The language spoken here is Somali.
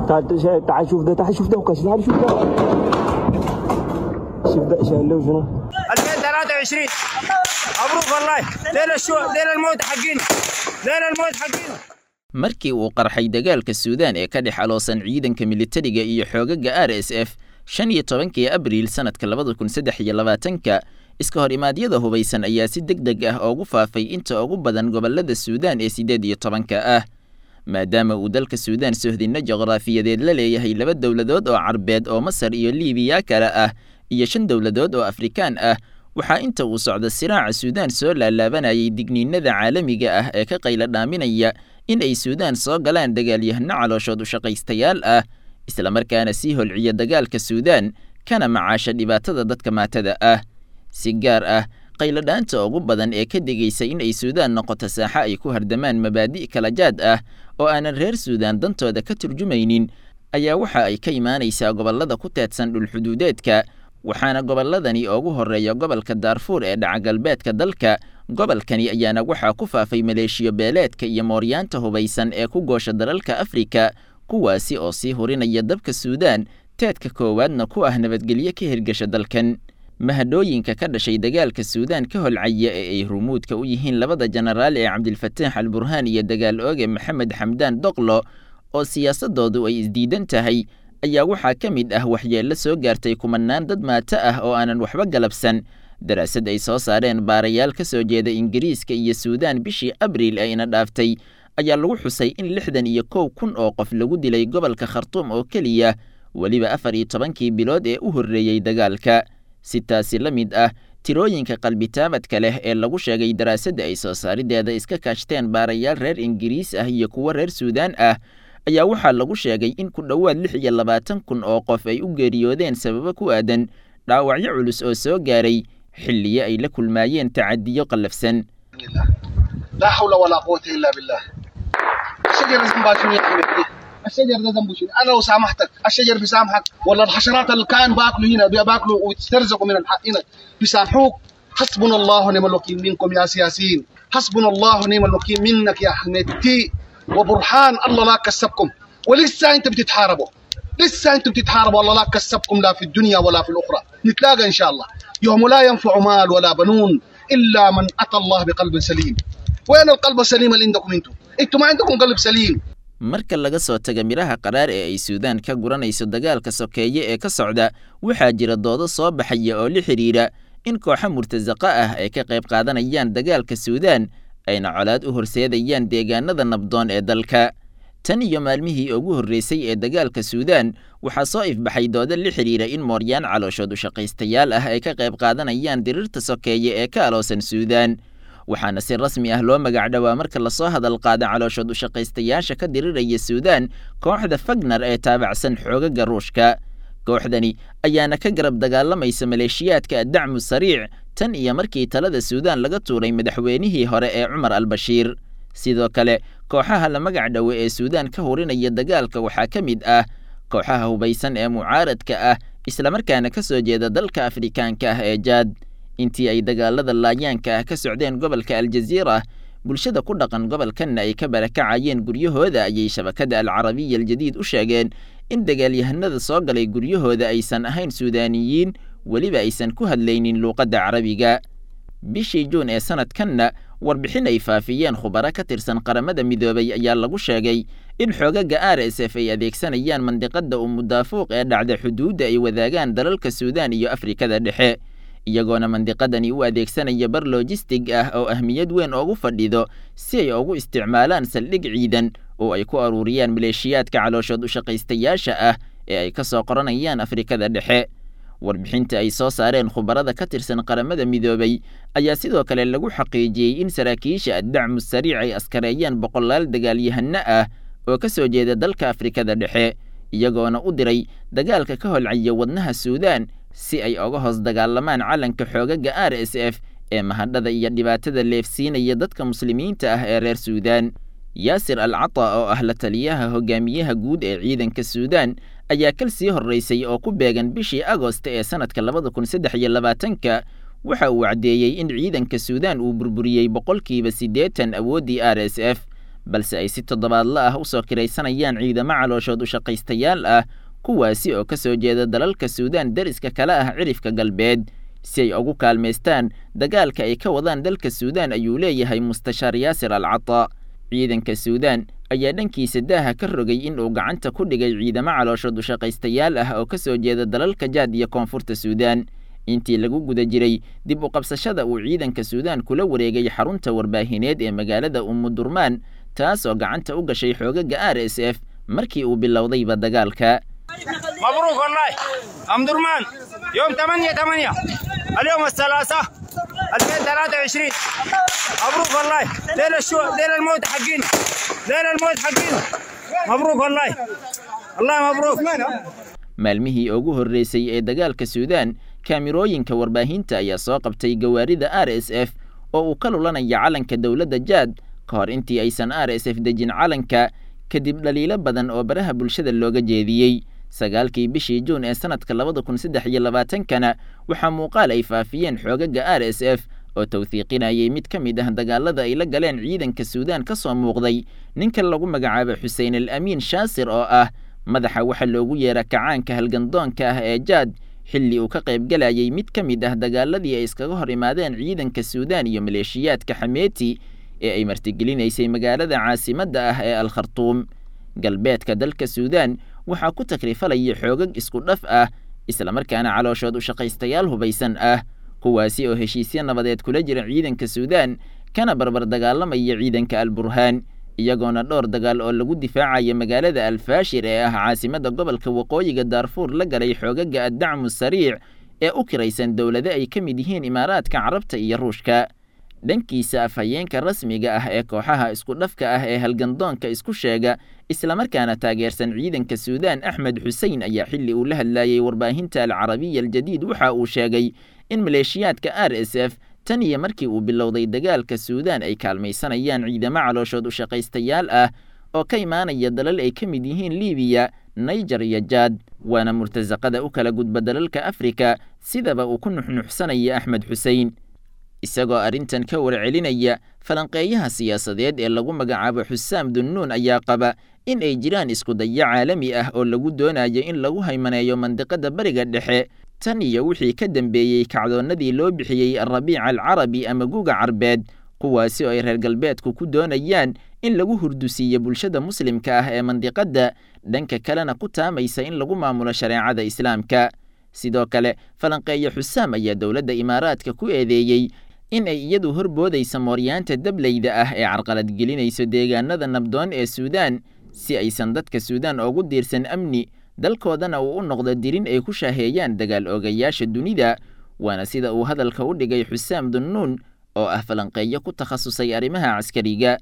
تعال تعال شوف ده، تعال شوف ده وكاش، تعال شوف ده، شوف ده شايل له شنو. 2023 مبروك والله، ليل الشو، ليل الموت حقينا، ليل الموت حقينا. Markii uu qarxay dagaalka Suudaan ee ka dhex aloosan ciidanka militariga iyo xoogaga RSF 15-kii Abriil sanadka 2023-ka, iska hor imaadyada hubaysan ayaa si deg deg ah ugu faafay inta ugu badan gobollada Suudaan ee 18-ka ah. Maadaama uu dalka Suudaan sohdinno juqraafiyadeed la leeyahay laba dowladood oo Carbeed oo Masar iyo Liibiya kale ah iyo shan dowladood oo Afrikaan ah, waxaa inta uu socda siraaca Suudaan soo laalaabanayay digniinada caalamiga ah ee ka qaylo dhaaminaya in ay Suudaan soo galaan dagaalyahano calooshood u shaqaystayaal ah, islamarkaana sii holciya dagaalka Suudaan kana macaasha dhibaatada dadka maatada ah. Si gaar ah, qayladhaanta ugu badan ee ka digaysa in ay Suudaan noqoto saaxo ay ku hardamaan mabaadi' kala jaad ah oo aanan reer Suudaan dantooda ka turjumaynin ayaa waxa ay ka imaanaysaa gobollada ku teedsan dhulxuduudeedka, waxaana gobolladani ugu horreeya gobolka Daarfuur ee dhaca galbeedka dalka. Gobolkani ayaana waxaa ku faafay maleeshiyo beeleedka iyo mooryaanta hubaysan ee ku goosha dalalka Afrika, kuwaasi oo sii hurinaya dabka Suudaan, teedka koowaadna ku ah nabadgelyo ka hirgasha dalkan. Mahadhooyinka ka dhashay dagaalka Suudaan ka holcaya ee ay rumuudka u yihiin labada jenaraal ee Cabdilfataax Al Burhaan iyo dagaal ooge Maxamed Xamdaan Doqlo oo siyaasadoodu ay isdiidan tahay ayaa waxaa ka mid ah waxyeello soo gaartay kumanaan dad maato ah oo aanan waxba galabsan. Daraasad ay soo saareen baarayaal ka soo jeeda Ingiriiska iyo Suudaan bishii Abriil ee ina dhaaftay ayaa lagu xusay in 61,000 oo qof lagu dilay gobolka Khartuum oo keliya, weliba 14-kii bilood ee u horreeyey dagaalka. Si taasi la mid ah, tirooyinka qalbitaabadka leh ee lagu sheegay daraasadda ay soo saarideeda iska kaashteen baarayaal reer Ingiriis ah iyo kuwo reer Suudaan ah ayaa waxaa lagu sheegay in ku dhowaad 26,000 oo qof ay u geeriyoodeen sababo ku aadan dhaawacyo culus oo soo gaaray xilliyo ay la kulmaayeen tacadiyo qallafsan. لا حول ولا قوة إلا بالله. الشجر ذنبها شنو يا حبيبي؟ الشجر ده ذنبه شنو؟ أنا لو سامحتك الشجر بيسامحك، ولا الحشرات اللي كان باكلوا هنا باكلوا ويسترزقوا من الحق هنا بيسامحوك؟ حسبنا الله ونعم الوكيل منكم يا سياسيين، حسبنا الله ونعم الوكيل منك يا حميدتي وبرهان، الله لا كسبكم، ولسه انتم بتتحاربوا، لسه انتم بتتحاربوا، الله لا كسبكم لا في الدنيا ولا في الاخرى. نتلاقى ان شاء الله يوم لا ينفع مال ولا بنون الا من اتى الله بقلب سليم. وين القلب السليم اللي عندكم انتم؟ انتم ما عندكم قلب سليم. Marka laga soo taga midhaha qaraar ee ay Suudaan ka guranayso dagaalka sokeeye ee ka socda, waxaa jira doodo soo baxaya oo la xidhiidha in kooxo murtasaqa ah ay ka qayb qaadanayaan dagaalka Suudaan ayna colaad u horseedayaan deegaanada nabdoon ee dalka. Tan iyo maalmihii ugu horreysay ee dagaalka Suudaan, waxaa soo ifbaxay doodo la xidhiidha in mooryaan calooshood u shaqaystayaal ah ay ka qayb qaadanayaan dirirta sokeeye ee ka aloosan Suudaan, waxaana si rasmi ah loo magacdhowaa marka lasoo hadal qaada calooshood u shaqaystayaasha ka diriraya Suudaan kooxda Fagner ee taabacsan xoogaga Ruushka. Kooxdani ayaana ka garab dagaalamaysa maleeshiyaadka Addacmu Sariic tan iyo markii talada Suudaan laga tuuray madaxweynihii hore ee Cumar Albashiir. Sidoo kale, kooxaha la magac dhowe ee Suudaan ka hurinaya dagaalka waxaa ka mid ah kooxaha hubaysan ee mucaaradka ah, islamarkaana ka soo jeeda dalka Afrikaanka ah ee Jaad. Intii ay dagaalada laayaanka ah ka socdeen gobolka Aljaziira, bulshada ku dhaqan gobolkanna ay ka barakacayeen guryahooda, ayay shabakadda Alcarabiya Aljadiid u sheegeen in dagaalyahanada soo galay guryahooda aysan ahayn Suudaaniyiin, weliba aysan ku hadlaynin luuqadda Carabiga. Bishii Juun ee sanadkanna, warbixin ay faafiyeen khubaro ka tirsan Qaramada Midoobay ayaa lagu sheegay in xoogaga RSF ay adeegsanayaan mandiqada Umudaafuuq ee dhacda xuduudda ay wadaagaan dalalka Suudaan iyo Afrikada Dhexe, iyagoona mandiqadani u adeegsanaya bar lojistig ah oo ahmiyad weyn oogu fadhido si ay ugu isticmaalaan saldhig ciidan oo ay ku aruuriyaan maleeshiyaadka calooshood u shaqaystayaasha ah ee ay ka soo qoranayaan Afrikada Dhexe. Warbixinta ay soo saareen khubarada ka tirsan Qaramada Midoobay ayaa sidoo kale lagu xaqiijiyey in saraakiisha Addacmu Sariic ay askareeyaan boqolaal dagaalyahano ah oo ka soo jeeda dalka Afrikada Dhexe, iyagoona u diray dagaalka ka holcaya wadnaha Suudaan si ay uga hoos dagaalamaan calanka xoogaga RSF ee mahadhada iyo dhibaatada leefsiinaya dadka muslimiinta ah ee reer Suudaan. Yaasir Al Cata oo ah la taliyaha hogaamiyaha guud ee ciidanka Suudaan ayaa kal sii horreysay oo ku beegan bishii Agost ee sanadka 2023-ka waxa uu caddeeyey in ciidanka Suudaan uu burburiyey 80% awooddii RSF, balse ay si toddobaadla ah usoo kiraysanayaan ciidamo calooshood u shaqaystayaal ah, kuwaasi oo ka soo jeeda dalalka Suudaan deriska kale ah cirifka galbeed, si ay ugu kaalmaystaan dagaalka ay ka wadaan dalka Suudaan, ayuu leeyahay mustashaar Yaasir Al Cataa. Ciidanka Suudaan ayaa dhankiisa daaha ka rogay in uu gacanta ku dhigay ciidamo calooshood u shaqaystayaal ah oo ka soo jeeda dalalka Jaad iyo Koonfurta Suudaan, intii lagu guda jiray dib u qabsashada uu ciidanka Suudaan kula wareegay xarunta warbaahineed ee magaalada Umudurmaan, taas oo gacanta u gashay xoogaga RSF markii uu bilowdayba dagaalka. مبروك والله ام درمان يوم 8 8 اليوم الثلاثاء 2023. مبروك والله، ليل الشو ليل الموت حقينا، ليل الموت حقينا. مبروك والله، الله مبروك. Maalmihii ugu horreysay ee dagaalka Suudaan, kaamirooyinka warbaahinta ayaa soo qabtay gawaarida RSF oo uu ka lulanaya calanka dowladda Jaad, ka hor intii aysan RSF dejin calanka kadib dhaliilo badan oo baraha bulshada looga jeediyey. 9-kii bishii Juun ee sanadka 2023-kana waxaa muuqaal ay faafiyeen xoogaga RSF oo tawthiiqinayay mid ka mid ah dagaalada ay la galeen ciidanka Suudaan ka soo muuqday ninka lagu magacaabo Xuseen Al Amiin Shaasir, oo ah madaxa waxa loogu yeera kacaanka halgandoonka ah ee Jaad, xilli uu ka qaybgalayay mid ka mid ah dagaaladii ay iskaga hor imaadeen ciidanka Suudaan iyo maleeshiyaadka Xameeti ee ay martigelinaysay magaalada caasimadda ah ee Al Khartuum. Galbeedka dalka Suudaan waxaa ku takrifalaya xoogag isku dhaf ah, islamarkaana calooshood u shaqaystayaal hubaysan ah, kuwaasi oo heshiisyo nabadeed kula jira ciidanka Suudaan kana barbar dagaalamaya ciidanka Al Burhaan, iyagoona dhowr dagaal oo lagu difaacaya magaalada Alfaashir ee ah caasimadda gobolka waqooyiga Daarfuur la galay xoogaga Addacmu Sariic ee u kiraysan dowlado ay ka mid yihiin Imaaraadka Carabta iyo Ruushka. Dhankiisa, afhayeenka rasmiga ah ee kooxaha isku dhafka ah ee halgandoonka isku sheega islamarkaana taageersan ciidanka Suudaan, Axmed Xuseen, ayaa xilli uu la hadlayay warbaahinta Alcarabiya Aljadiid waxa uu sheegay in maleeshiyaadka RSF tan iyo markii uu bilowday dagaalka Suudaan ay kaalmaysanayaan ciidamo calooshood u shaqaystayaal ah oo ka imaanaya dalal ay ka mid yihiin Liibiya, Niger iyo Jaad, waana murtasaqada u kala gudba dalalka Afrika, sidaba uu ku nuxnuxsanaya Axmed Xuseen. Isagoo arrintan ka warcelinaya, falanqeeyaha siyaasadeed ee lagu magacaabo Xusaam Dunnuun ayaa qaba in ay jiraan isku dayo caalami ah oo lagu doonayo in lagu haymaneeyo mandiqada Bariga Dhexe tan iyo wixii ka dambeeyey kacdoonnadii loo bixiyey Alrabiica Alcarabi ama Guga Carbeed, kuwaasi oo ay reer galbeedku ku doonayaan in lagu hurdusiiyo bulshada muslimka ah ee mandiqadda, dhanka kalena ku taamaysa in lagu maamulo shareecada Islaamka. Sidoo kale, falanqeeye Xusaam ayaa dowladda Imaaraadka ku eedeeyey in ay iyadu horboodaysa mooryaanta dableyda ah ee carqaladgelinayso deegaanada nabdoon ee Suudaan, si aysan dadka Suudaan ugu diirsan amni, dalkoodana uu u noqdo dirin ay ku shaaheeyaan dagaal oogayaasha dunida. Waana sida uu hadalka u dhigay Xusaam Dunnuun oo ah falanqeeyo ku takhasusay arrimaha caskariga.